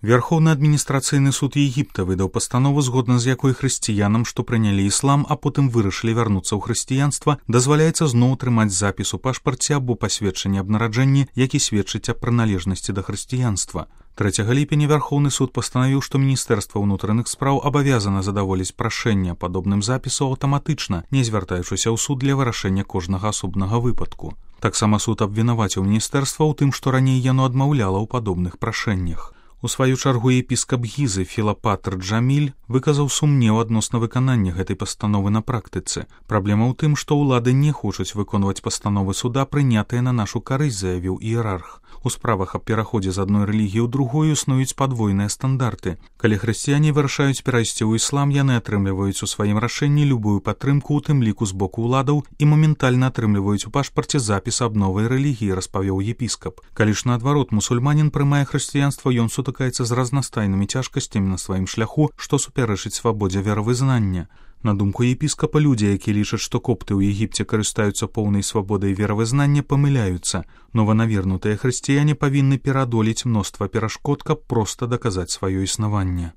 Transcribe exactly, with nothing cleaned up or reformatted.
Верховны адміністрацыйны суд Егіпта выдаў пастанову, згодна з якой хрысціянам, што прынялі іслам, а потым вырашылі вярнуцца ў хрысціянства, дазваляецца зноў трымаць запіс у пашпарце або пасведчанні аб нараджэнні, які сведчыць аб прыналежнасці да хрысціянства. трэцяга ліпеня Верховны суд пастанавіў, што Міністэрства ўнутраных спраў абавязана задаволіць прашэнне падобным запісу аўтаматычна, не звяртаючыся ў суд для вырашэння кожнага асобнага выпадку. Таксама суд абвінаваціў міністэрства ў тым, што раней яно адмаўляла ў падобных прашэннях. У сваю чаргу епіскап Гізы Філапатр Джаміль выказаў сумнеў адносна выканання гэтай пастановы на практыцы. Праблема ў тым, што ўлады не хочуць выконваць пастановы суда, прынятыя на нашу карысць, заявіў іерарх. У справах аб пераходзе з адной рэлігіі ў другую існуюць падвойныя стандарты. Калі хрысціяне вырашаюць перайсці ў іслам, яны атрымліваюць у сваім рашэнні любую падтрымку, у тым ліку з боку ўладаў, і моментальна атрымліваюць у пашпарце запіс аб новай рэлігіі, распавёў епіскап. Калі ж наадварот мусульманін прымае хрысціянства, ён сутыкаецца з разнастайнымі цяжкасцямі на сваім шляху, што супярэчыць свабодзе веравызнання. На думку епіскапа, людзі, якія лічаць, што копты ў Егіпце карыстаюцца поўнай свабодай веравызнання, памыляюцца. Нованавернутыя хрысціяне павінны пераадолець мноства перашкод, каб проста даказаць сваё існаванне.